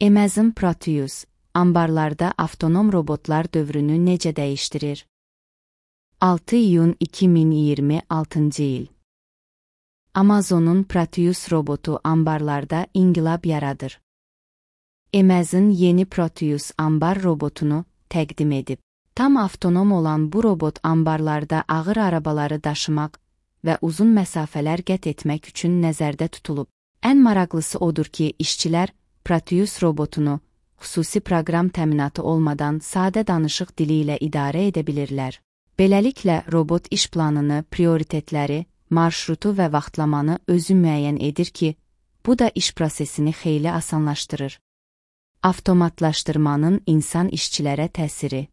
Amazon Proteus, ambarlarda avtonom robotlar dövrünü necə dəyişdirir? 6 iyun 2026 il. Amazon'un Proteus robotu ambarlarda inqilab yaradır. Amazon yeni Proteus ambar robotunu təqdim edib. Tam avtonom olan bu robot ambarlarda ağır arabaları daşımaq və uzun məsafələr qət etmək üçün nəzərdə tutulub. Ən maraqlısı odur ki, işçilər Proteus robotunu xüsusi proqram təminatı olmadan sadə danışıq dili ilə idarə edə bilirlər. Beləliklə, robot iş planını, prioritetləri, marşrutu və vaxtlamanı özü müəyyən edir ki, bu da iş prosesini xeyli asanlaşdırır. Avtomatlaşdırmanın insan işçilərə təsiri.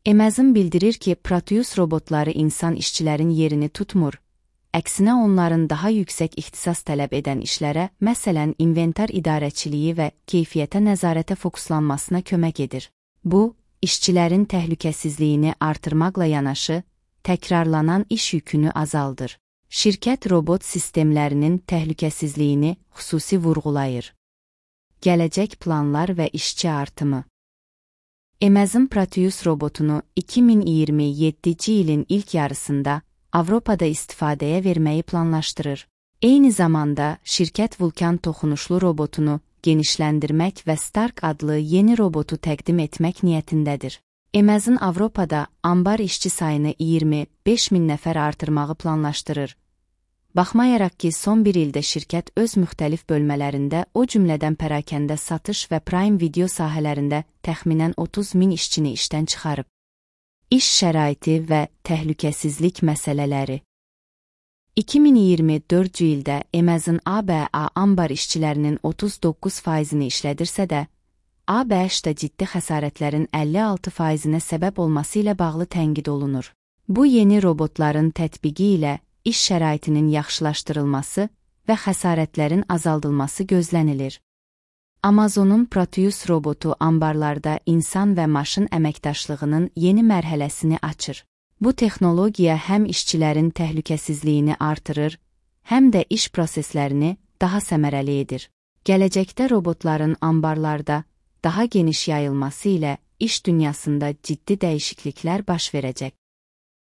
Amazon bildirir ki, Proteus robotları insan işçilərin yerini tutmur. Əksinə onların daha yüksək ixtisas tələb edən işlərə, məsələn, inventar idarəçiliyi və keyfiyyətə nəzarətə fokuslanmasına kömək edir. Bu, işçilərin təhlükəsizliyini artırmaqla yanaşı, təkrarlanan iş yükünü azaldır. Şirkət robot sistemlərinin təhlükəsizliyini xüsusi vurğulayır. Gələcək planlar və işçi artımı. Amazon Proteus robotunu 2027-ci ilin ilk yarısında Avropada istifadəyə verməyi planlaşdırır. Eyni zamanda, şirkət Vulkan toxunuşlu robotunu genişləndirmək və Stark adlı yeni robotu təqdim etmək niyyətindədir. Amazon Avropada ambar işçi sayını 25.000 nəfər artırmağı planlaşdırır. Baxmayaraq ki, son bir ildə şirkət öz müxtəlif bölmələrində, o cümlədən pərakəndə satış və Prime Video sahələrində təxminən 30.000 işçini işdən çıxarıb. İş şəraiti və təhlükəsizlik məsələləri. 2024-cü ildə Amazon ABA ambar işçilərinin 39%-ni işlədirsə də, ABŞ-da ciddi xəsarətlərin 56%-nə səbəb olması ilə bağlı tənqid olunur. Bu yeni robotların tətbiqi ilə iş şəraitinin yaxşılaşdırılması və xəsarətlərin azaldılması gözlənilir. Amazon'un Proteus robotu ambarlarda insan və maşın əməkdaşlığının yeni mərhələsini açır. Bu texnologiya həm işçilərin təhlükəsizliyini artırır, həm də iş proseslərini daha səmərəli edir. Gələcəkdə robotların ambarlarda daha geniş yayılması ilə iş dünyasında ciddi dəyişikliklər baş verəcək.